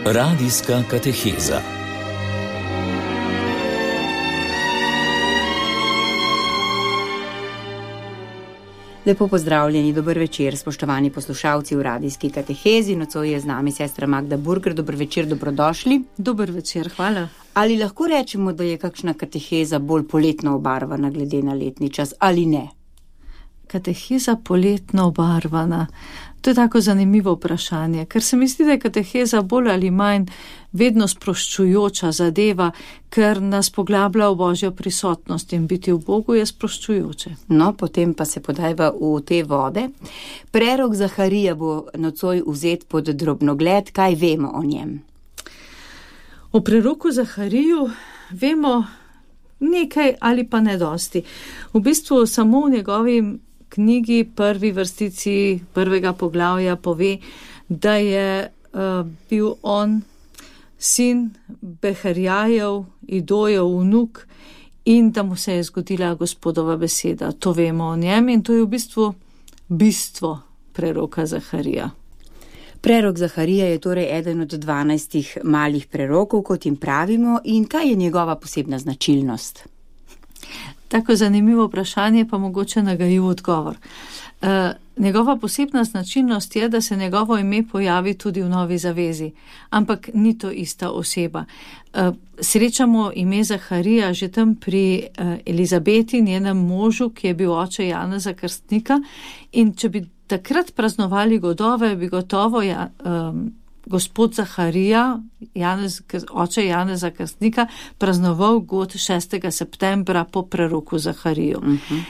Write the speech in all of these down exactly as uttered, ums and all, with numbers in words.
Radijska kateheza. Lepo pozdravljeni, dober večer, spoštovani poslušalci v Radijski katehezi. Nocoj je z nami sestra Magda Burger. Dober večer, dobrodošli. Dober večer, hvala. Ali lahko rečemo, da je kakšna kateheza bolj poletno obarvana glede na letni čas ali ne? Kateheza poletno obarvana. To je tako zanimivo vprašanje, ker se mi zdi, da je kateheza bolj ali manj vedno sproščujoča zadeva, ker nas poglablja v Božjo prisotnost in biti v Bogu je sproščujoče. No, potem pa se podajva v te vode. Prerok Zaharija bo nocoj vzet pod drobnogled. Kaj vemo o njem? O preroku Zahariju vemo nekaj ali pa ne dosti. V bistvu samo v njegovi knjigi prvi vrstici prvega poglavja pove, da je uh, bil on sin Beherjajev, Idojev vnuk in da mu se je zgodila Gospodova beseda. To vemo o njem in to je v bistvu bistvo preroka Zaharija. Prerok Zaharija je torej eden od dvanajstih malih prerokov, kot jim pravimo, in kaj je njegova posebna značilnost? Tako zanimivo vprašanje, pa mogoče nagajiv odgovor. E, njegova posebna značilnost je, da se njegovo ime pojavi tudi v Novi zavezi, ampak ni to ista oseba. E, srečamo ime Zaharija že tam pri e, Elizabeti, njenem možu, ki je bil oče Janeza Krstnika, in če bi takrat praznovali godove, bi gotovo ja, um, gospod Zaharija, Janez, oče Janeza Krstnika, praznoval god šestega septembra po preroku Zahariju. Uh-huh.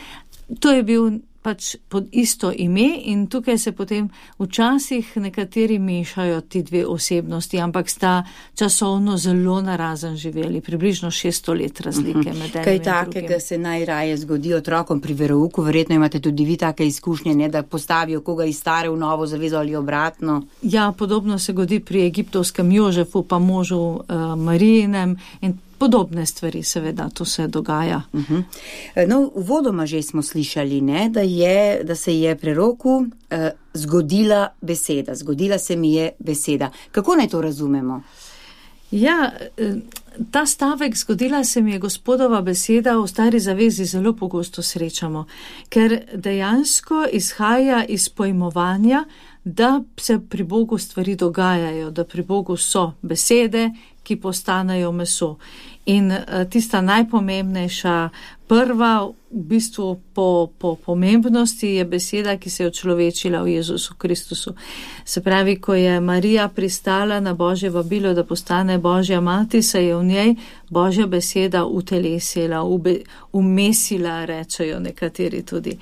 To je bil pač pod isto ime in tukaj se potem včasih nekateri mešajo ti dve osebnosti, ampak sta časovno zelo narazen živeli, približno šeststo let razlike uh-huh. med enim Kaj in takega drugim. Se najraje zgodi otrokom pri verouku? Verjetno imate tudi vi take izkušnje, ne, da postavijo koga iz stare v novo zavezo ali obratno. Ja, podobno se godi pri egiptovskem Jožefu, pa možu uh, Marijinem in podobne stvari, seveda, to se dogaja. Uh-huh. No, uvodoma že smo slišali, ne, da, je, da se je preroku eh, zgodila beseda, zgodila se mi je beseda. Kako naj to razumemo? Ja, ta stavek zgodila se mi je Gospodova beseda v Stari zavezi zelo pogosto srečamo, ker dejansko izhaja iz pojmovanja, da se pri Bogu stvari dogajajo, da pri Bogu so besede, ki postanejo meso. In tista najpomembnejša, prva v bistvu po, po pomembnosti je beseda, ki se je očlovečila v Jezusu Kristusu. Se pravi, ko je Marija pristala na Božje vabilo, da postane Božja mati, se je v njej Božja beseda utelesila, ube, umesila, rečejo nekateri tudi.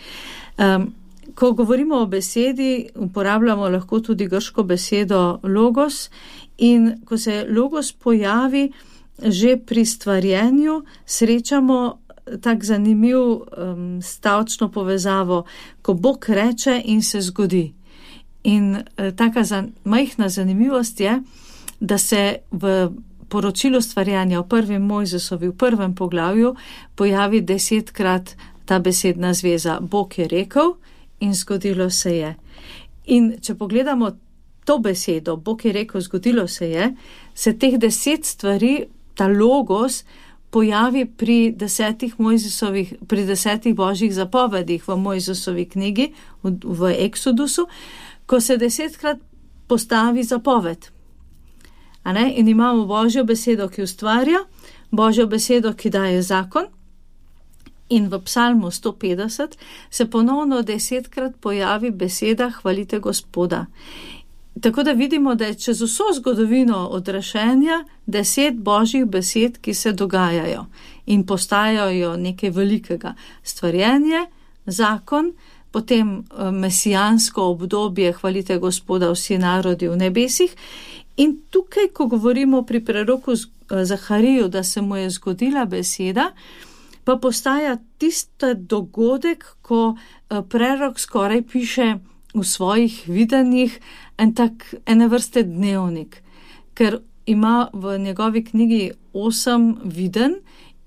Um, ko govorimo o besedi, uporabljamo lahko tudi grško besedo logos, in ko se logos pojavi že pri stvarjenju, srečamo tak zanimiv um, stavčno povezavo, ko Bog reče in se zgodi. In uh, taka zan, majhna zanimivost je, da se v poročilu stvarjanja v prvem Mojzesovi, v prvem poglavju, pojavi desetkrat ta besedna zveza. Bog je rekel in zgodilo se je. In če pogledamo to besedo, Bog je rekel, zgodilo se je, se teh deset stvari, ta logos, pojavi pri desetih Mojzesovih, pri desetih božjih zapovedih v Mojzesovi knjigi, v, v Eksodusu, ko se desetkrat postavi zapoved. A ne? In imamo Božjo besedo, ki ustvarja, Božjo besedo, ki daje zakon, in v psalmu sto petdeset se ponovno desetkrat pojavi beseda hvalite Gospoda. Tako da vidimo, da je čez vso zgodovino odrešenja deset božjih besed, ki se dogajajo in postajajo nekaj velikega. Stvarjenje, zakon, potem mesijansko obdobje hvalite Gospoda vsi narodi v nebesih. In tukaj, ko govorimo pri preroku Zahariju, da se mu je zgodila beseda, pa postaja tisti dogodek, ko prerok skoraj piše v svojih videnjih en tak, ene vrste dnevnik, ker ima v njegovi knjigi osem viden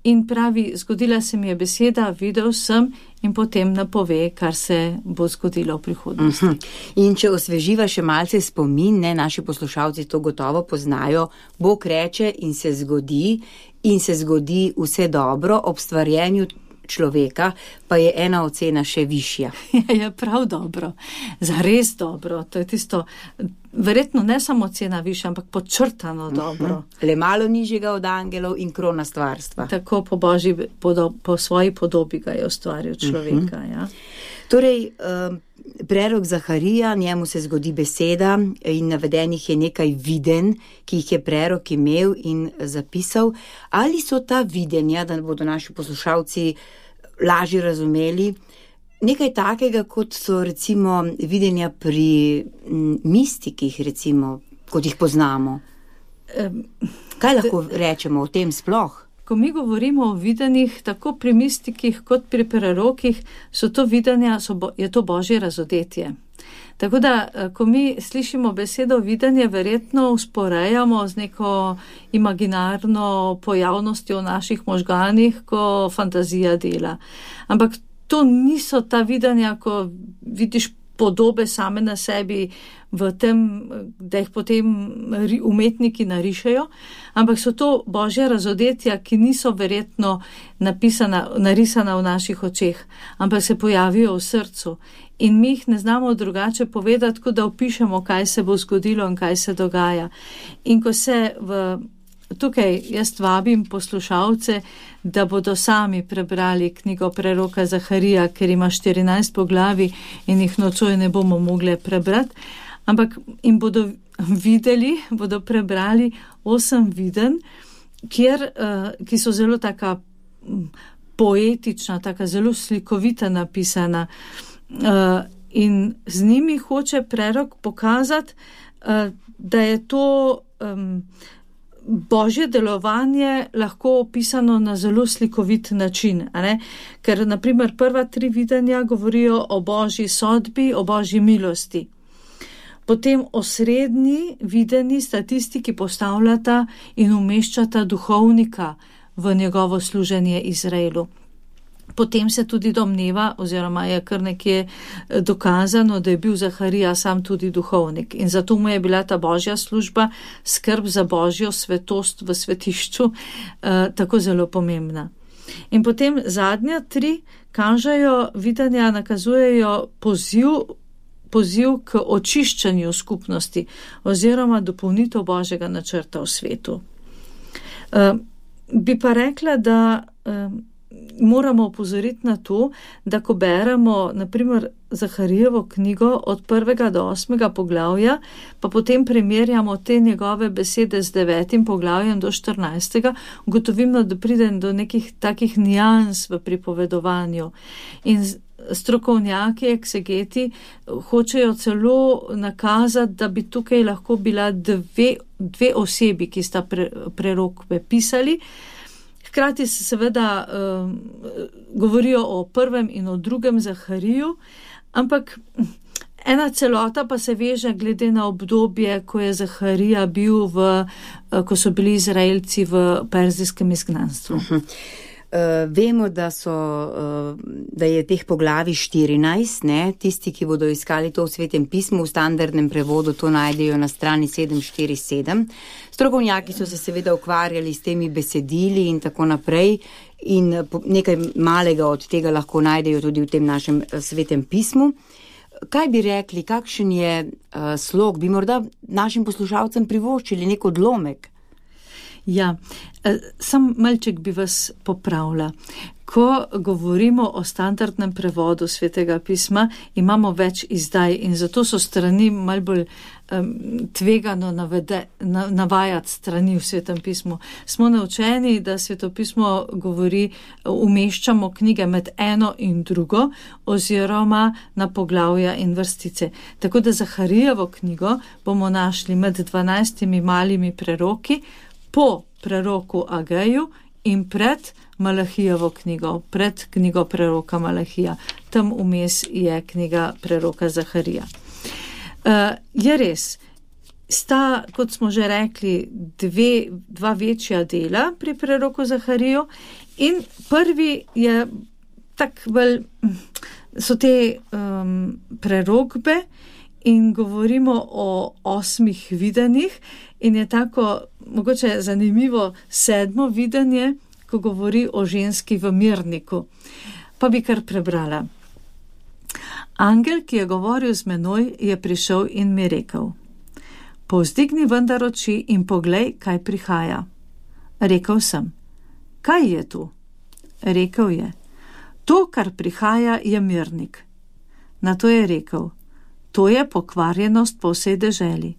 in pravi, zgodila se mi je beseda, videl sem in potem napove, kar se bo zgodilo v prihodnosti. Uh-huh. In če osveživa še malce spomin, ne, naši poslušalci to gotovo poznajo, Bog reče in se zgodi, in se zgodi vse dobro, ob stvarjenju človeka pa je ena ocena še višja. Je prav dobro, zares dobro, to je tisto, verjetno ne samo ocena višja, ampak podčrtano dobro. Uh-huh. Le malo nižjega od angelov in krona stvarstva. Tako po Božji, po, po svoji podobi ga je ustvaril človeka. Uh-huh. Ja. Torej, prerok Zaharija, njemu se zgodi beseda in navedenih je nekaj viden, ki jih je prerok imel in zapisal. Ali so ta videnja, da bodo naši poslušalci lažje razumeli, nekaj takega, kot so recimo videnja pri mistikih, recimo, kot jih poznamo? Kaj lahko rečemo o tem sploh? Ko mi govorimo o videnjih, tako pri mistikih kot pri prerokih, so to videnja, so bo, je to Božje razodetje. Tako da, ko mi slišimo besedo videnje, verjetno usporejamo z neko imaginarno pojavnostjo v naših možganih, ko fantazija dela. Ampak to niso ta videnja, ko vidiš podobe same na sebi v tem, da jih potem umetniki narišejo, ampak so to Božja razodetja, ki niso verjetno napisana, narisana v naših očeh, ampak se pojavijo v srcu. In mi jih ne znamo drugače povedati, kot da opišemo, kaj se bo zgodilo in kaj se dogaja. In ko se v, tukaj jaz vabim poslušalce, da bodo sami prebrali knjigo preroka Zaharija, ker ima štirinajst poglavij in jih nocoj ne bomo mogli prebrati, ampak jim bodo videli, bodo prebrali osem viden, kjer, ki so zelo taka poetična, taka zelo slikovita napisana. Uh, in z njimi hoče prerok pokazati, uh, da je to um, Božje delovanje lahko opisano na zelo slikovit način. A ne? Ker, na primer, prva tri videnja govorijo o Božji sodbi, o Božji milosti. Potem osrednji videni statistiki postavljata in umeščata duhovnika v njegovo služenje Izraelu. Potem se tudi domneva, oziroma je kar nekje dokazano, da je bil Zaharija sam tudi duhovnik. In zato mu je bila ta Božja služba, skrb za Božjo svetost v svetišču, eh, tako zelo pomembna. In potem zadnja tri kažejo, videnja nakazujejo poziv, poziv k očiščanju skupnosti oziroma dopolnitev Božjega načrta v svetu. Eh, bi pa rekla, da eh, moramo opozoriti na to, da ko beremo, na primer, Zaharijevo knjigo od prvega do osmega poglavja, pa potem primerjamo te njegove besede z devetim poglavjem do štirinajstega, ugotovimo, da pride do nekih takih nijans v pripovedovanju. In strokovnjaki, eksegeti, hočejo celo nakazati, da bi tukaj lahko bila dve, dve osebi, ki sta pre, prerokve pisali. Hkrati se seveda um, govorijo o prvem in o drugem Zahariju, ampak ena celota pa se veže glede na obdobje, ko je Zaharija bil v, ko so bili Izraelci v perzijskem izgnanstvu. Uh-huh. Uh, vemo, da, so, uh, da je teh poglavij štirinajst, ne? Tisti, ki bodo iskali to v Svetem pismu, v standardnem prevodu to najdejo na strani sedem štiri sedem. Strokovnjaki so se seveda ukvarjali s temi besedili in tako naprej in nekaj malega od tega lahko najdejo tudi v tem našem Svetem pismu. Kaj bi rekli, kakšen je uh, slog, bi morda našim poslušalcem privoščili nek odlomek? Ja, sam malček bi vas popravila. Ko govorimo o standardnem prevodu Svetega pisma, imamo več izdaj in zato so strani malo bolj um, tvegano navede, na, navajati strani v Svetem pismu. Smo naučeni, da Svetopismo govori, umeščamo knjige med eno in drugo oziroma na poglavja in vrstice. Tako da Zaharijevo knjigo bomo našli med dvanajstimi malimi preroki, po preroku Ageju in pred Malahijevo knjigo, pred knjigo preroka Malahija. Tam vmes je knjiga preroka Zaharija. Uh, je res, sta, kot smo že rekli, dve, dva večja dela pri preroku Zahariju In prvi je tak bolj, so te um, prerokbe in govorimo o osmih videnjih in je tako mogoče zanimivo sedmo videnje, ko govori o ženski v mirniku. Pa bi kar prebrala. Angel, ki je govoril z menoj, je prišel in mi rekel: povzdigni vendar oči in poglej, kaj prihaja. Rekel sem: kaj je tu? Rekel je: to, kar prihaja, je mirnik. Nato je rekel: to je pokvarjenost po vsej deželi.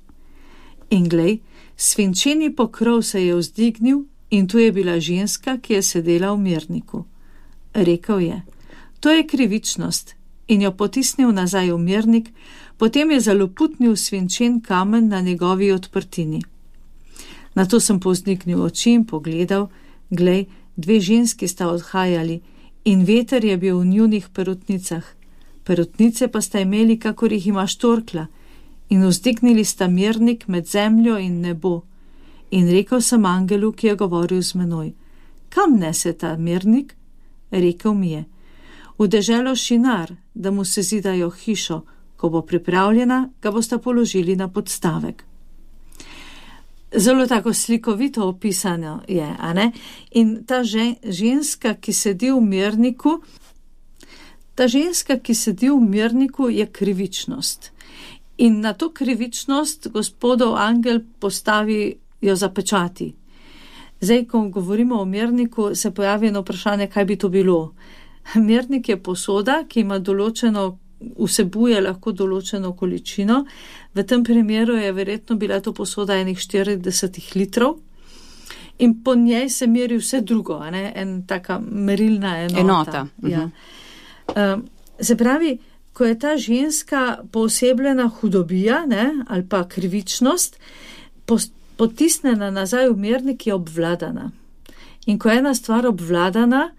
In glej, svinčeni pokrov se je vzdignil in tu je bila ženska, ki je sedela v mirniku. Rekel je: to je krivičnost, in jo potisnil nazaj v mirnik, potem je zaloputnil svinčen kamen na njegovi odprtini. Nato sem povzdignil oči in pogledal, glej, dve ženski sta odhajali in veter je bil v njunih perutnicah. Perutnice pa sta imeli, kakor jih ima štorkla, in vzdignili sta mirnik med zemljo in nebo. In rekel sem angelu, ki je govoril z menoj: kam nese ta mirnik? Rekel mi je: v deželo Šinar, da mu se zidajo hišo, ko bo pripravljena, ga bosta položili na podstavek. Zelo tako slikovito opisano je, a ne? In ta žen, ženska, ki sedi v mirniku, ta ženska, ki sedi v mirniku, je krivičnost. In na to krivičnost gospodov angel postavi jo zapečati. Zdaj, ko govorimo o mirniku, se pojavi eno vprašanje, kaj bi to bilo. Mirnik je posoda, ki ima določeno, vsebuje lahko določeno količino. V tem primeru je verjetno bila to posoda enih štirideset litrov in po njej se meri vse drugo, a ne? En taka merilna enota. Enota. Ja. Um, se pravi, ko je ta ženska poosebljena hudobija, ne, ali pa krivičnost, potisnjena nazaj v mirnik, je obvladana. In ko je ena stvar obvladana,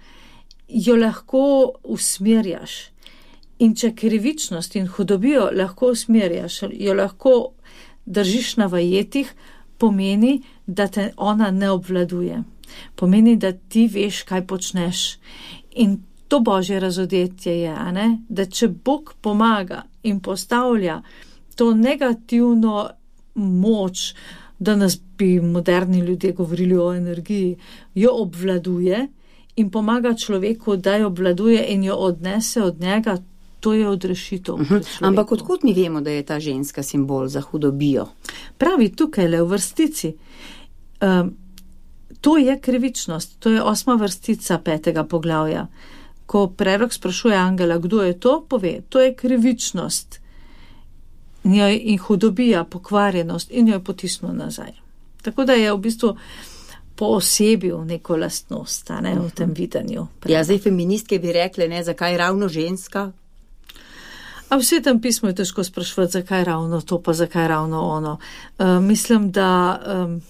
jo lahko usmerjaš. In če krivičnost in hudobijo lahko usmerjaš, jo lahko držiš na vajetih, pomeni, da te ona ne obvladuje. Pomeni, da ti veš, kaj počneš. In to božje razodetje je, a ne? Da če Bog pomaga in postavlja to negativno moč, danes bi moderni ljudje govorili o energiji, jo obvladuje in pomaga človeku, da jo obvladuje in jo odnese od njega, to je odrešitev. Uh-huh. Ampak odkud mi vemo, da je ta ženska simbol za hudobijo? Pravi tukaj le v vrstici. Um, to je krivičnost, to je osma vrstica petega poglavja. Ko prerok sprašuje angela, kdo je to, pove, to je krivičnost in hudobija, pokvarjenost in jo je potisnil nazaj. Tako da je v bistvu poosebil neko lastnost, a ne, v tem videnju. Ja, zdaj feministke bi rekle, ne, zakaj ravno ženska? A v Svetem pismu je težko sprašvati, zakaj ravno to, pa zakaj ravno ono. Uh, mislim, da um,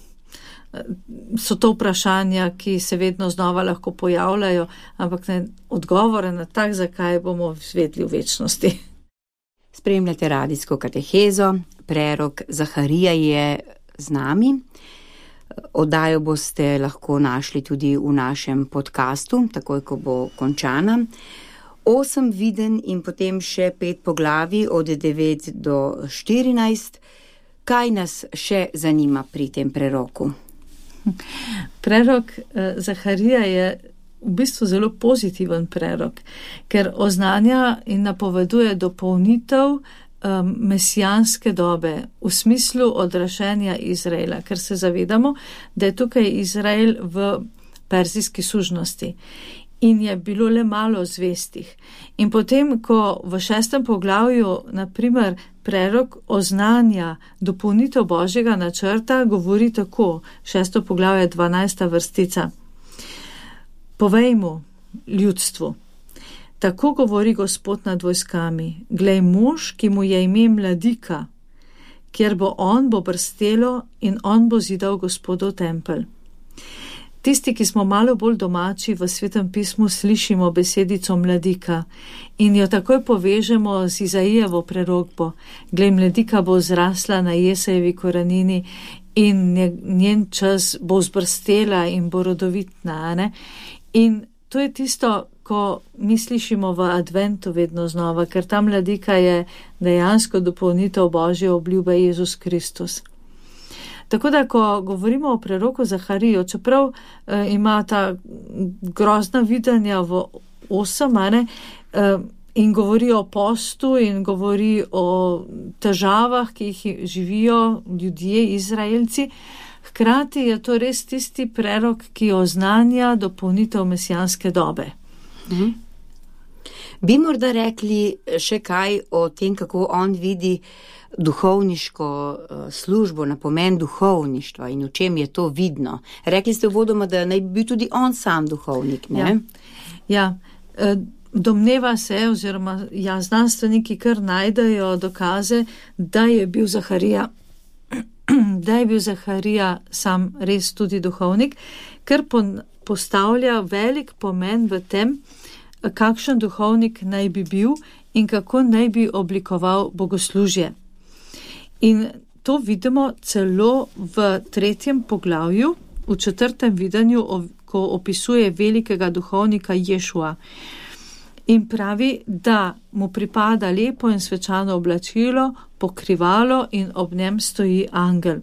so to vprašanja, ki se vedno znova lahko pojavljajo, ampak ne, odgovore na tak, zakaj bomo izvedli v večnosti. Spremljate radijsko katehezo, prerok Zaharija je z nami. Oddajo boste lahko našli tudi v našem podcastu, takoj, ko bo končana. Osem viden in potem še pet poglavij od devet do štirinajst. Kaj nas še zanima pri tem preroku? Prerok eh, Zaharija je v bistvu zelo pozitiven prerok, ker oznanja in napoveduje dopolnitev um, mesijanske dobe v smislu odrašenja Izraela, ker se zavedamo, da je tukaj Izrael v perzijski sužnosti in je bilo le malo zvestih. In potem, ko v šestem poglavju, naprimer, prerok oznanja dopolnitev Božjega načrta, govori tako, šesto poglavje, dvanajsta vrstica. Povej mu, ljudstvu, tako govori Gospod nad vojskami, glej, mož, ki mu je ime Mladika, kjer bo on, bo brstelo in on bo zidal Gospodov tempelj. Tisti, ki smo malo bolj domači v Svetem pismu, slišimo besedico Mladika in jo takoj povežemo z Izaijevo prerokbo. Glej, Mladika bo zrasla na Jesejevi korenini in njen čas bo zbrstela in bo rodovitna, ne? In to je tisto, ko mi slišimo v adventu vedno znova, ker ta mladika je dejansko dopolnitev Božje obljube Jezus Kristus. Tako da, ko govorimo o preroku Zahariju, čeprav eh, ima ta grozna videnja v osem, ne, eh, in govori o postu in govori o težavah, ki jih živijo ljudje, Izraelci, hkrati je to res tisti prerok, ki oznanja dopolnitev mesijanske dobe. Mhm. Bi morda rekli še kaj o tem, kako on vidi duhovniško službo, na pomen duhovništva in v čem je to vidno. Rekli ste uvodoma, da naj bi bil tudi on sam duhovnik, ne? Ja, ja. Domneva se, oziroma ja, znanstveniki kar najdejo dokaze, da je bil Zaharija, da je bil Zaharija sam res tudi duhovnik, ker postavlja velik pomen v tem, kakšen duhovnik naj bi bil in kako naj bi oblikoval bogoslužje. In to vidimo celo v tretjem poglavju, v četrtem videnju, ko opisuje velikega duhovnika Ješua. In pravi, da mu pripada lepo in svečano oblačilo, pokrivalo in ob njem stoji angel.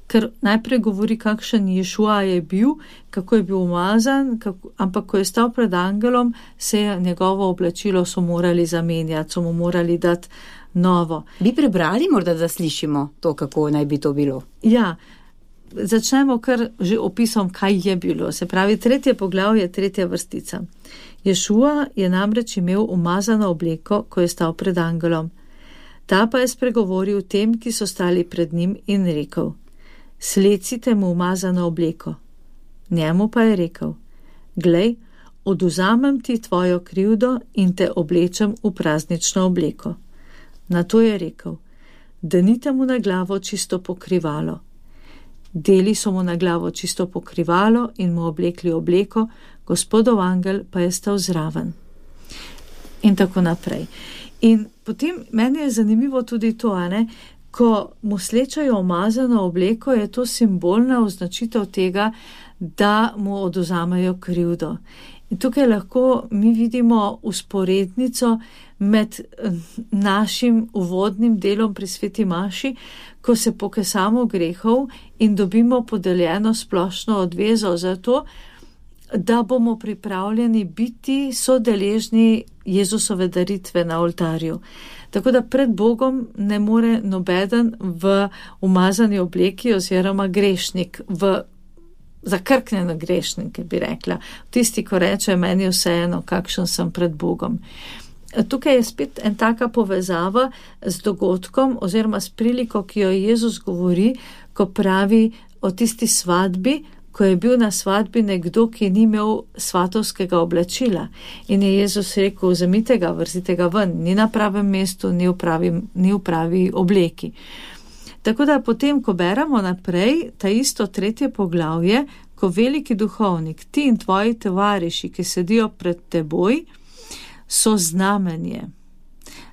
Ker najprej govori, kakšen Ješua je bil, kako je bil umazan, kako, ampak ko je stal pred angelom, se je njegovo oblačilo so morali zamenjati, so mu morali dati novo. Bi prebrali morda, da slišimo to, kako naj bi to bilo? Ja, začnemo kar že opisom, kaj je bilo. Se pravi, tretje poglavje, tretja vrstica. Ješua je namreč imel umazano obleko, ko je stal pred angelom. Ta pa je spregovoril tem, ki so stali pred njim in rekel: Slecite mu umazano obleko. Njemu pa je rekel: Glej, oduzamem ti tvojo krivdo in te oblečem v praznično obleko. Na to je rekel: Danite mu na glavo čisto pokrivalo. Deli so mu na glavo čisto pokrivalo in mu oblekli obleko, Gospodov angel pa je stal zraven. In tako naprej. In potem meni je zanimivo tudi to, ne, ko mu slečajo umazano obleko, je to simbolna označitev tega, da mu oduzamejo krivdo. In tukaj lahko mi vidimo usporednico med našim uvodnim delom pri sveti maši, ko se pokesamo grehov in dobimo podeljeno splošno odvezo za to, da bomo pripravljeni biti sodeležni Jezusove daritve na oltarju. Tako da pred Bogom ne more nobeden v umazani obleki oziroma grešnik, v zakrknjeno grešnike bi rekla. Tisti, ko reče, meni vseeno, kakšen sem pred Bogom. Tukaj je spet en taka povezava z dogodkom oziroma s priliko, ki jo Jezus govori, ko pravi o tisti svadbi, ko je bil na svadbi nekdo, ki ni imel svatovskega oblačila. In je Jezus rekel: vzemite ga, vrzite ga ven, ni na pravem mestu, ni v pravi, ni v pravi obleki. Tako da potem, ko beremo naprej, ta isto tretje poglavje, ko veliki duhovnik, ti in tvoji tovariši, ki sedijo pred teboj, so znamenje.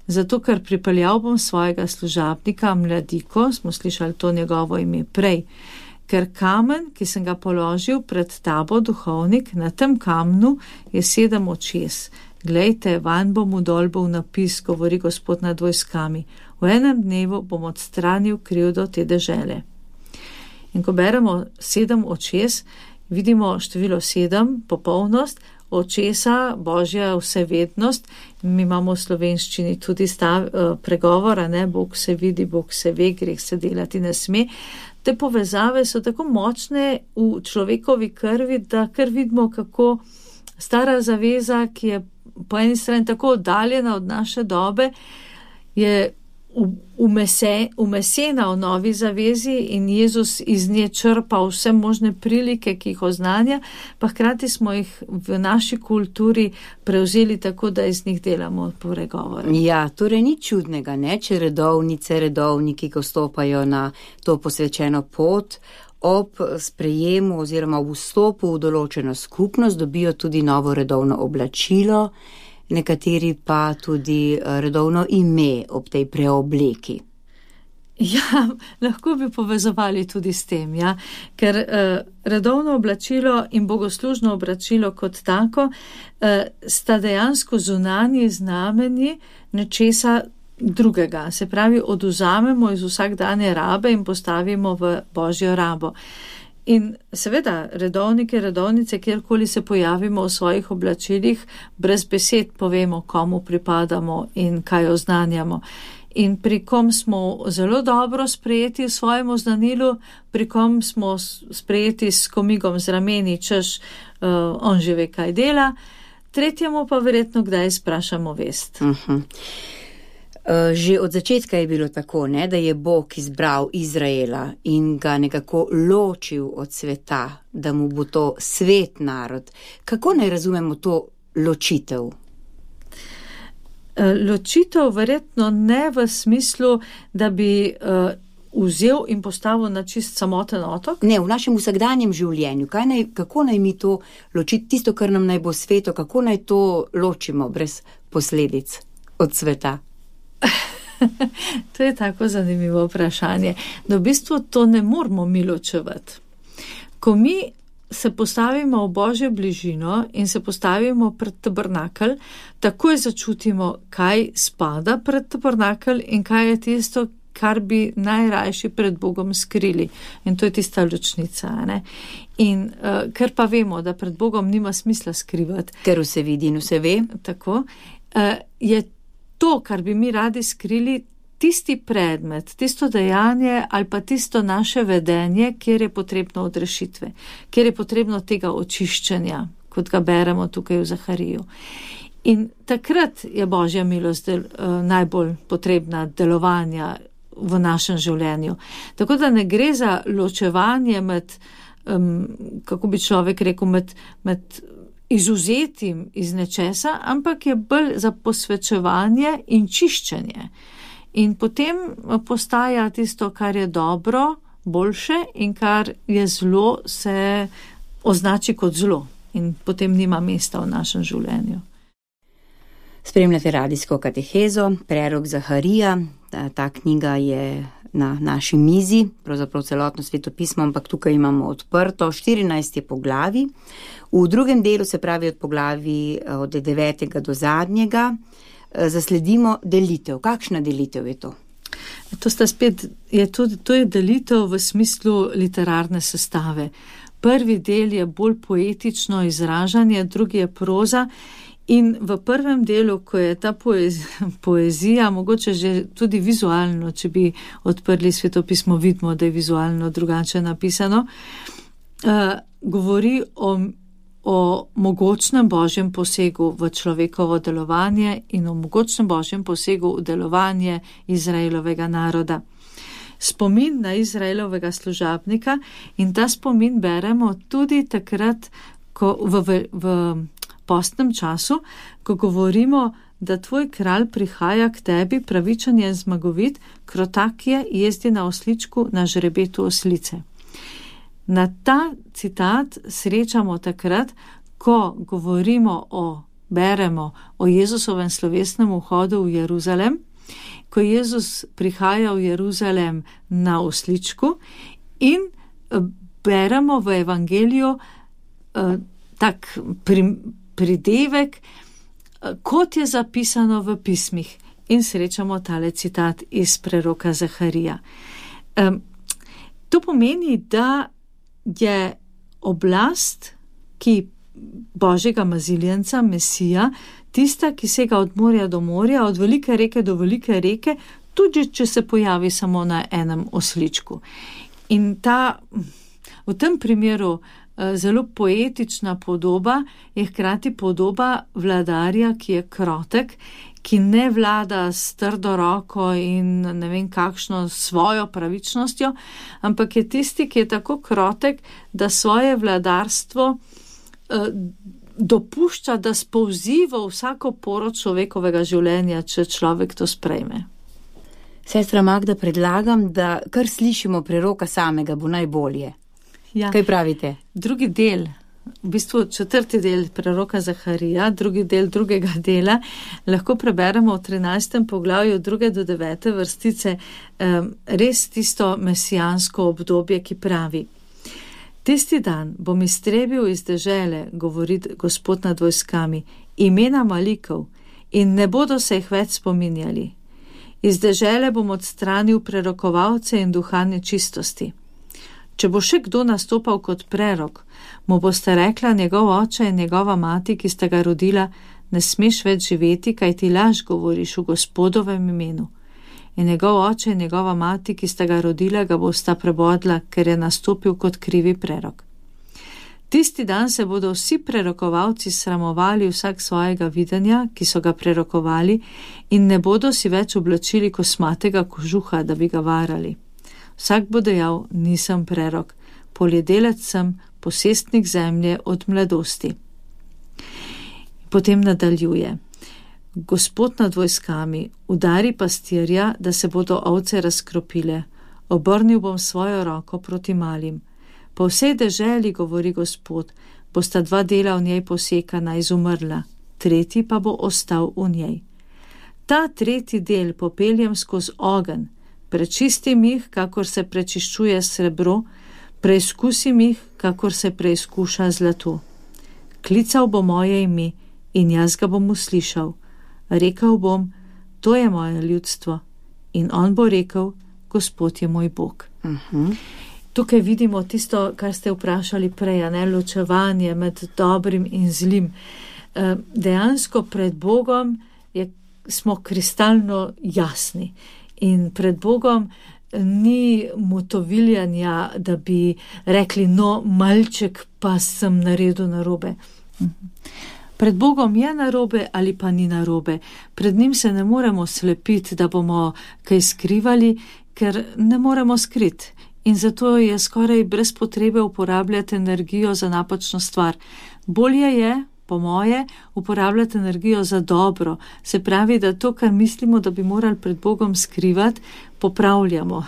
Zato, ker pripeljal bom svojega služabnika, mladiko, smo slišali to njegovo ime prej, ker kamen, ki sem ga položil pred tabo, duhovnik, na tem kamnu je sedem očes. Glejte, vanj bom vdolbal napis, govori Gospod nad vojskami. V enem dnevu bom odstranil krivdo te dežele. In ko beremo sedem očes, vidimo število sedem, popolnost, očesa, Božja vsevednost. Mi imamo v slovenščini tudi stav, pregovora, ne, Bog se vidi, Bog se ve, greh se delati ne sme. Te povezave so tako močne v človekovi krvi, da kar vidimo, kako stara zaveza, ki je po eni strani tako oddaljena od naše dobe, je umese, umesena v novi zavezi in Jezus iz nje črpa vse možne prilike, ki jih oznanja, pa hkrati smo jih v naši kulturi prevzeli tako, da iz njih delamo pregovore. Ja, torej ni čudnega, ne, če redovnice, redovniki, ko stopajo na to posvečeno pot, ob sprejemu oziroma v vstopu v določeno skupnost dobijo tudi novo redovno oblačilo, nekateri pa tudi redovno ime ob tej preobleki. Ja, lahko bi povezovali tudi s tem, ja? Ker uh, redovno oblačilo in bogoslužno oblačilo kot tako uh, sta dejansko zunanji znamenji nečesa drugega. Se pravi, odvzamemo iz vsakdanje rabe in postavimo v božjo rabo. In seveda, redovnike, redovnice, kjerkoli se pojavimo v svojih oblačilih, brez besed povemo, komu pripadamo in kaj oznanjamo. In pri kom smo zelo dobro sprejeti v svojem oznanilu, pri kom smo sprejeti s komigom z rameni, češ uh, on že ve, kaj dela, tretjemu pa verjetno kdaj sprašamo vest. Uh-huh. Uh, že od začetka je bilo tako, ne, da je Bog izbral Izraela in ga nekako ločil od sveta, da mu bo to svet narod. Kako naj razumemo to ločitev? Ločitev verjetno ne v smislu, da bi uh, vzel in postavil na čist samoten otok. Ne, v našem vsakdanjem življenju. Kaj naj, kako naj mi to ločiti, tisto, kar nam naj bo sveto, kako naj to ločimo brez posledic od sveta? To je tako zanimivo vprašanje. Da v bistvu to ne moramo mi ločevati. Ko mi se postavimo v božjo bližino in se postavimo pred tabernakelj, takoj začutimo, kaj spada pred tabernakelj in kaj je tisto, kar bi najrajši pred Bogom skrili. In to je tista ločnica. Ne? In uh, ker pa vemo, da pred Bogom nima smisla skrivati. Ker vse vidi in vse ve. Tako, uh, je to, kar bi mi radi skrili, tisti predmet, tisto dejanje ali pa tisto naše vedenje, kjer je potrebno odrešitve, kjer je potrebno tega očiščenja, kot ga beremo tukaj v Zahariju. In takrat je božja milost del, uh, najbolj potrebna delovanja v našem življenju. Tako da ne gre za ločevanje med, um, kako bi človek rekel, med, med izuzetim iz nečesa, ampak je bolj za posvečevanje in čiščenje. In potem postaja tisto, kar je dobro, boljše in kar je zlo, se označi kot zlo in potem nima mesta v našem življenju. Spremljate radijsko katehezo, prerok Zaharija. Ta, ta knjiga je na naši mizi, pravzaprav celotno svetopismo, ampak tukaj imamo odprto štirinajst poglavij. V drugem delu, se pravi od poglavij od devetega do zadnjega, zasledimo delitev. Kakšna delitev je to? To sta spet, je tudi, to je delitev v smislu literarne sestave. Prvi del je bolj poetično izražanje, drugi je proza. In v prvem delu, ko je ta poezija, poezija, mogoče že tudi vizualno, če bi odprli svetopismo, vidimo, da je vizualno drugače napisano, uh, govori o, o mogočnem božjem posegu v človekovo delovanje in o mogočnem božjem posegu v delovanje Izraelovega naroda. Spomin na Izraelovega služabnika in ta spomin beremo tudi takrat, ko v, v, v postnem času, ko govorimo, da tvoj kralj prihaja k tebi pravičen in zmagovit, krotak je, jezdi na osličku na žrebetu oslice. Na ta citat srečamo takrat, ko govorimo o, beremo o Jezusovem slovesnem vhodu v Jeruzalem, ko Jezus prihaja v Jeruzalem na osličku in beremo v evangeliju eh, tak prim, pridevek, kot je zapisano v pismih, in srečamo tale citat iz preroka Zaharija. Um, to pomeni, da je oblast, ki božjega maziljenca, Mesija, tista, ki sega od morja do morja, od velike reke do velike reke, tudi če se pojavi samo na enem osličku. In ta, v tem primeru, zelo poetična podoba je hkrati podoba vladarja, ki je krotek, ki ne vlada s trdo roko in ne vem kakšno svojo pravičnostjo, ampak je tisti, ki je tako krotek, da svoje vladarstvo eh, dopušča, da spolzi v vsako poro človekovega življenja, če človek to sprejme. Sestra Magda, predlagam, da kar slišimo preroka samega, bo najbolje. Ja. Kaj pravite? Drugi del v bistvu četrti del preroka Zaharija, drugi del drugega dela, lahko preberemo v trinajstem poglavju druge do devete vrstice res tisto mesijansko obdobje, ki pravi: Tisti dan bom iztrebil iz dežele, govori Gospod nad vojskami, imena malikov in ne bodo se jih več spominjali. Iz dežele bom odstranil prerokovalce in duha nečistosti. Če bo še kdo nastopal kot prerok, mu boste rekla njegov oče in njegova mati, ki sta ga rodila, ne smeš več živeti, kaj ti laž govoriš v Gospodovem imenu. In njegov oče in njegova mati, ki sta ga rodila, ga bosta prebodla, ker je nastopil kot krivi prerok. Tisti dan se bodo vsi prerokovalci sramovali vsak svojega videnja, ki so ga prerokovali, in ne bodo si več oblačili kosmatega kožuha, da bi ga varali. Vsak bo dejal, nisem prerok, poljedelec sem, posestnik zemlje od mladosti. Potem nadaljuje: Gospod nad vojskami, udari pastirja, da se bodo ovce razkropile. Obrnil bom svojo roko proti malim. Po vsej deželi, govori Gospod, bosta dva dela v njej posekana, izumrla, tretji pa bo ostal v njej. Ta tretji del popeljem skozi ogenj, prečistim jih, kakor se prečiščuje srebro, preizkusim jih, kakor se preizkuša zlato. Klical bo moje ime in jaz ga bom uslišal. Rekel bom, to je moje ljudstvo, in on bo rekel, Gospod je moj Bog. Uh-huh. Tukaj vidimo tisto, kar ste vprašali prej, ne, ločevanje med dobrim in zlim. E, dejansko pred Bogom je, smo kristalno jasni. In pred Bogom ni motoviljanja, da bi rekli, no, malček pa sem naredil narobe. Pred Bogom je narobe ali pa ni narobe. Pred njim se ne moremo slepiti, da bomo kaj skrivali, ker ne moremo skriti. In zato je skoraj brez potrebe uporabljati energijo za napačno stvar. Bolje je, po moje, uporabljati energijo za dobro. Se pravi, da to, kar mislimo, da bi morali pred Bogom skrivati, popravljamo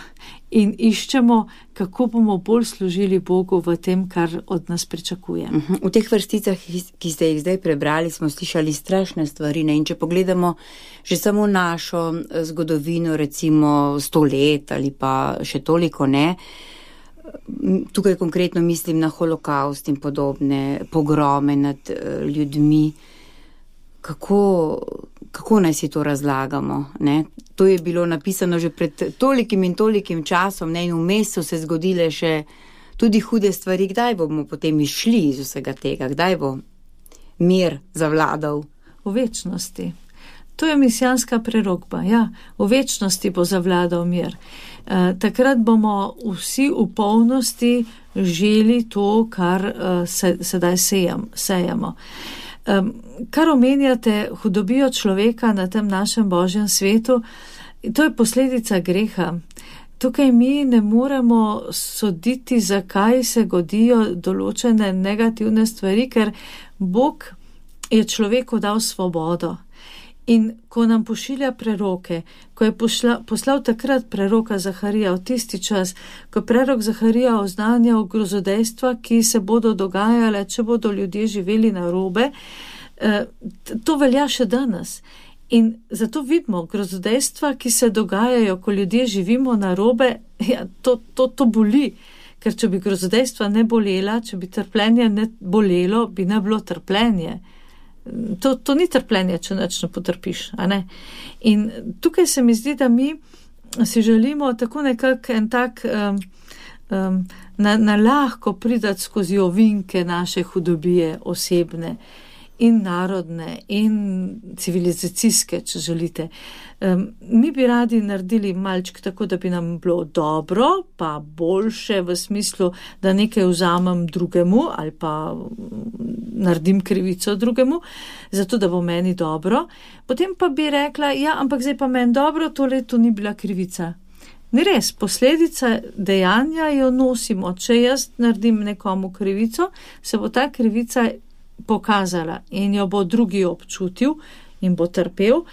in iščemo, kako bomo bolj služili Bogu v tem, kar od nas pričakuje. V teh vrsticah, ki ste jih zdaj prebrali, smo slišali strašne stvari, ne? In če pogledamo že samo našo zgodovino, recimo sto let ali pa še toliko ne, tukaj konkretno mislim na holokaust in podobne pogrome nad ljudmi. Kako, kako naj si to razlagamo? Ne? To je bilo napisano že pred tolikim in tolikim časom, ne? In vmes so se zgodile še tudi hude stvari. Kdaj bomo potem išli iz vsega tega? Kdaj bo mir zavladal? V večnosti. To je misijanska prerokba, ja. V večnosti bo zavladal mir. E, takrat bomo vsi v polnosti želi to, kar e, se, sedaj sejam, sejamo. Um, kar omenjate hudobijo človeka na tem našem Božjem svetu, to je posledica greha. Tukaj mi ne moremo soditi, zakaj se godijo določene negativne stvari, ker Bog je človeku dal svobodo. In ko nam pošilja preroke, ko je pošla, poslal takrat preroka Zaharija v tisti čas, ko prerok Zaharija oznanjal grozodejstva, ki se bodo dogajale, če bodo ljudje živeli narobe, to velja še danes. In zato vidimo grozodejstva, ki se dogajajo, ko ljudje živimo narobe, ja, to, to, to boli. Ker če bi grozodejstva ne bolela, če bi trpljenje ne bolelo, bi ne bilo trpljenje. To, to ni trpljenje, če nič ne potrpiš, a ne? In tukaj se mi zdi, da mi si želimo tako nekako en tak um, um, na, na lahko pridati skozi ovinke naše hudobije osebne in narodne in civilizacijske, če želite. Um, mi bi radi naredili malček tako, da bi nam bilo dobro, pa boljše v smislu, da nekaj vzamem drugemu ali pa naredim krivico drugemu, zato da bo meni dobro. Potem pa bi rekla, ja, ampak zdaj pa meni dobro, tole to ni bila krivica. Ni res, posledica dejanja jo nosimo. Če jaz naredim nekomu krivico, se bo ta krivica pokazala in jo bo drugi občutil in bo trpel.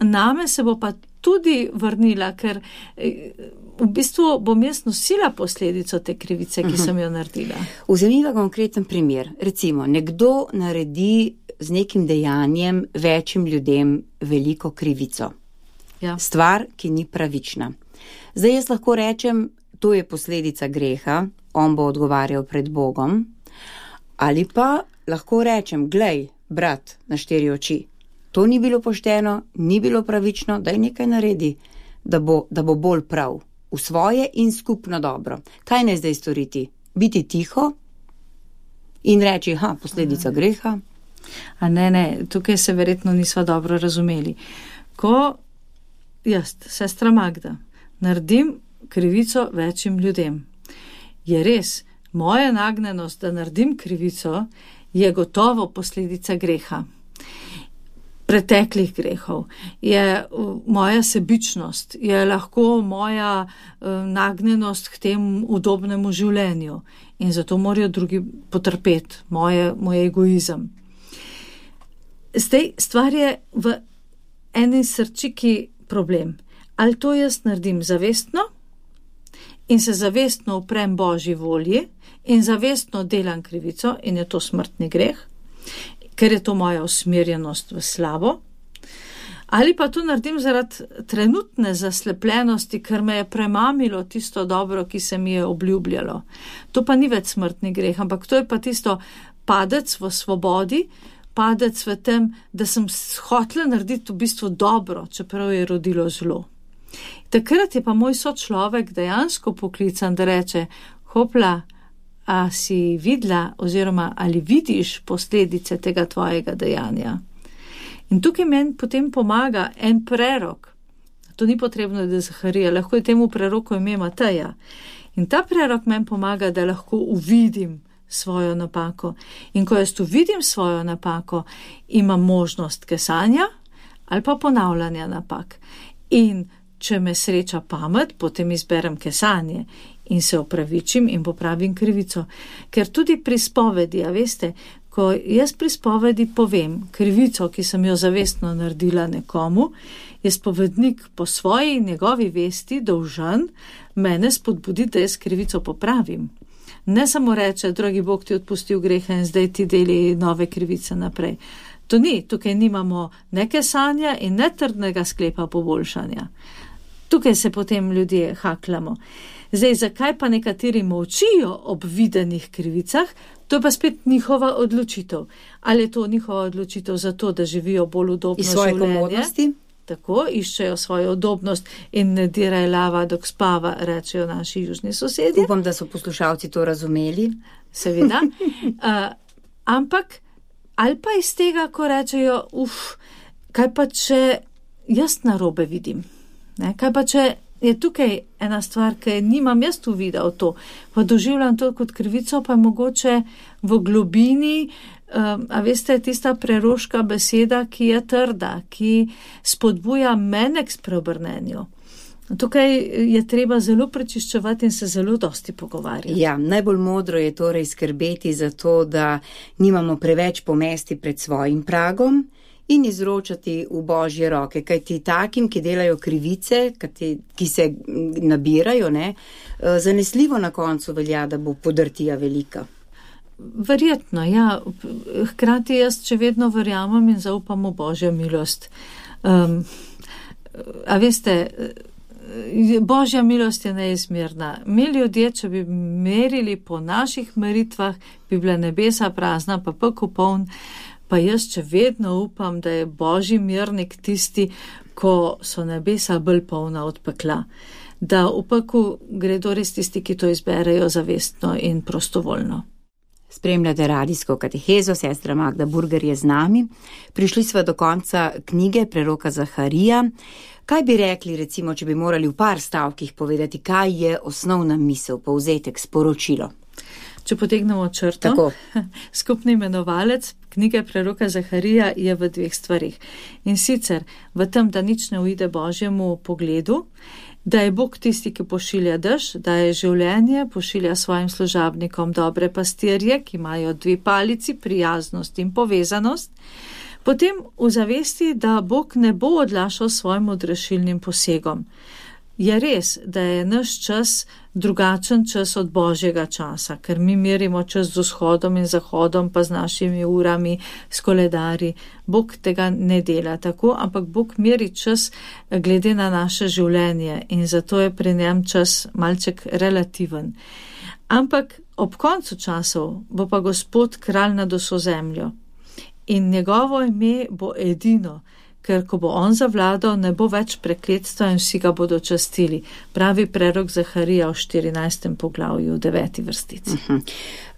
Name se bo pa tudi vrnila, ker v bistvu bom jaz nosila posledico te krivice, ki sem jo naredila. Vzemiva konkreten primer. Recimo, nekdo naredi z nekim dejanjem večjim ljudem veliko krivico. Ja. Stvar, ki ni pravična. Zdaj jaz lahko rečem, to je posledica greha, on bo odgovarjal pred Bogom, ali pa lahko rečem, glej, brat, na štiri oči, to ni bilo pošteno, ni bilo pravično, daj nekaj naredi, da bo, da bo bolj prav, v svoje in skupno dobro. Kaj naj zdaj storiti? Biti tiho in reči, ha, posledica greha? A ne, ne, tukaj se verjetno nisva dobro razumeli. Ko jaz, sestra Magda, naredim krivico večjim ljudem, je res, moja nagnjenost, da naredim krivico, je gotovo posledica greha. Preteklih grehov, je moja sebičnost, je lahko moja uh, nagnjenost k tem udobnemu življenju in zato morajo drugi potrpeti, moje, moj egoizem. Zdaj, stvar je v eni srčiki problem. Ali to jaz naredim zavestno in se zavestno uprem Božji volji in zavestno delam krivico in je to smrtni greh, ker je to moja usmerjenost v slabo, ali pa to naredim zaradi trenutne zaslepljenosti, ker me je premamilo tisto dobro, ki se mi je obljubljalo. To pa ni več smrtni greh, ampak to je pa tisto padec v svobodi, padec v tem, da sem hotela narediti v bistvu dobro, čeprav je rodilo zlo. Takrat je pa moj sočlovek dejansko poklican, da reče, hopla, a si videla oziroma ali vidiš posledice tega tvojega dejanja. In tukaj meni potem pomaga en prerok. To ni potrebno, da je Zaharija, lahko je temu preroku ime Mateja. In ta prerok meni pomaga, da lahko uvidim svojo napako. In ko jaz uvidim svojo napako, imam možnost kesanja ali pa ponavljanja napak. In če me sreča pamet, potem izberem kesanje in se opravičim in popravim krivico. Ker tudi pri spovedi, a veste, ko jaz pri spovedi povem krivico, ki sem jo zavestno naredila nekomu, je spovednik po svoji njegovi vesti dolžan mene spodbuditi, da jaz krivico popravim. Ne samo reče, dragi Bog ti odpustil grehe in zdaj ti deli nove krivice naprej. To ni, tukaj nimamo ne kesanja in ne trdnega sklepa poboljšanja. Tukaj se potem ljudje haklamo. Zdaj, zakaj pa nekateri molčijo ob videnih krivicah, to je pa spet njihova odločitev. Ali je to njihova odločitev zato, da živijo bolj udobno življenje? Iz svoje komodnosti? Tako, iščejo svojo udobnost in ne diraj lava, dok spava, rečejo naši južni sosedje. Upam, da so poslušalci to razumeli. Seveda. Uh, ampak, ali pa iz tega, ko rečejo, uf, kaj pa če jaz narobe vidim? Ne, kaj pa če je tukaj ena stvar, ki nimam jaz uvida v to, pa doživljam to kot krivico, pa je mogoče v globini, um, a veste, tista preroška beseda, ki je trda, ki spodbuja mene k spreobrnenju. Tukaj je treba zelo prečiščevati in se zelo dosti pogovarjati. Ja, najbolj modro je torej skrbeti za to, da nimamo preveč pomesti pred svojim pragom, in izročati v Božje roke, kajti takim, ki delajo krivice, ki se nabirajo, ne, zanesljivo na koncu velja, da bo podrtija velika. Verjetno, ja. Hkrati jaz še vedno verjamem in zaupam v Božjo milost. Um, a veste, Božja milost je neizmerna. Mi ljudje, če bi merili po naših meritvah, bi bila nebesa prazna, pa pekel poln. Pa jaz če vedno upam, da je Božji mirnik tisti, ko so nebesa bolj polna od pekla. Da v peklu gredo res tisti, ki to izberejo zavestno in prostovoljno. Spremljate radijsko katehezo, sestra Magda Burger je z nami. Prišli smo do konca knjige preroka Zaharija. Kaj bi rekli, recimo, če bi morali v par stavkih povedati, kaj je osnovna misel, povzetek, sporočilo? Če potegnemo črto, Tako. skupni imenovalec knjige preroka Zaharija je v dveh stvarih. In sicer v tem, da nič ne uide Božjemu pogledu, da je Bog tisti, ki pošilja dež, da je življenje, pošilja svojim služabnikom dobre pastirje, ki imajo dve palici, prijaznost in povezanost. Potem v zavesti, da Bog ne bo odlašal svojim odrešilnim posegom. Je res, da je naš čas drugačen čas od Božjega časa, ker mi merimo čas z vzhodom in zahodom, pa z našimi urami, s koledari. Bog tega ne dela tako, ampak Bog meri čas glede na naše življenje in zato je pri njem čas malček relativen. Ampak ob koncu časov bo pa Gospod kralj nad vso zemljo in njegovo ime bo edino, ker ko bo on zavladal, ne bo več prekletstva in vsi ga bodo častili. Pravi prerok Zaharija v štirinajstem poglavju, v deveti vrstici. Uh-huh.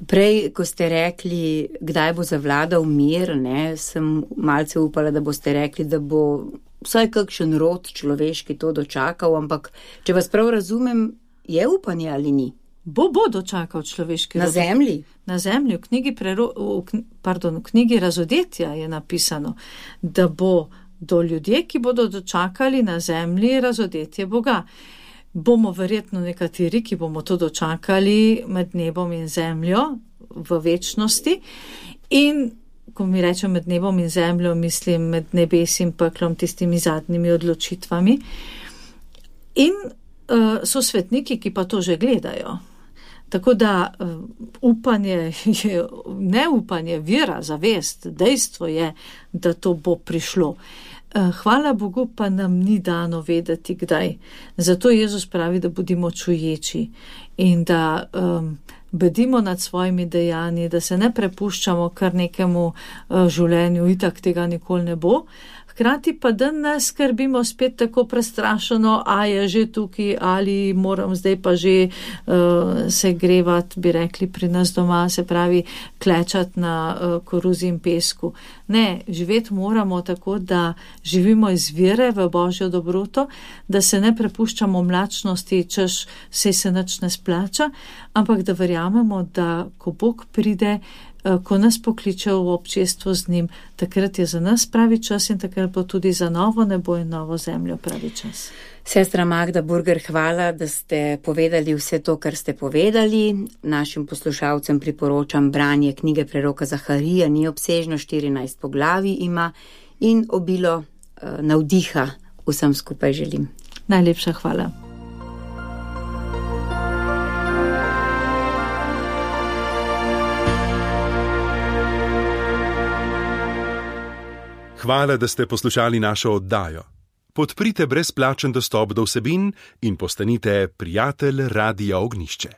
Prej, ko ste rekli, kdaj bo zavladal mir, ne, sem malce upala, da boste rekli, da bo vsaj kakšen rod človeški to dočakal, ampak če vas prav razumem, je upanje ali ni? Bo, bo dočakal človeški rod. Na zemlji? Na zemlji, v knjigi, prero, v, pardon, v knjigi Razodetja je napisano, da bo do ljudje, ki bodo dočakali na zemlji razodetje Boga. Bomo verjetno nekateri, ki bomo to dočakali med nebom in zemljo v večnosti. In ko mi rečem med nebom in zemljo, mislim med nebesim, peklom, tistimi zadnjimi odločitvami. In uh, so svetniki, ki pa to že gledajo. Tako da uh, upanje je, neupanje, vera, zavest, dejstvo je, da to bo prišlo. Hvala Bogu pa nam ni dano vedeti, kdaj. Zato Jezus pravi, da bodimo čuječi in da um, bedimo nad svojimi dejanji, da se ne prepuščamo kar nekemu uh, življenju, itak tega nikoli ne bo. Hkrati pa da ne skrbimo spet tako prestrašeno, a je že tukaj ali moram zdaj pa že uh, se grevati, bi rekli pri nas doma, se pravi klečati na uh, koruzi in pesku. Ne, živeti moramo tako, da živimo iz vere v Božjo dobroto, da se ne prepuščamo mlačnosti, češ se se nič ne splača, ampak da verjamemo, da ko Bog pride, ko nas pokliče v občestvo z njim, takrat je za nas pravi čas in takrat bo tudi za novo nebo in novo zemljo pravi čas. Sestra Magda Burger, hvala, da ste povedali vse to, kar ste povedali. Našim poslušalcem priporočam branje knjige preroka Zaharija, ni obsežno, štirinajst poglavij ima in obilo uh, navdiha vsem skupaj želim. Najlepša hvala. Hvala, da ste poslušali našo oddajo. Podprite brezplačen dostop do vsebin in postanite prijatelj Radia Ognjišče.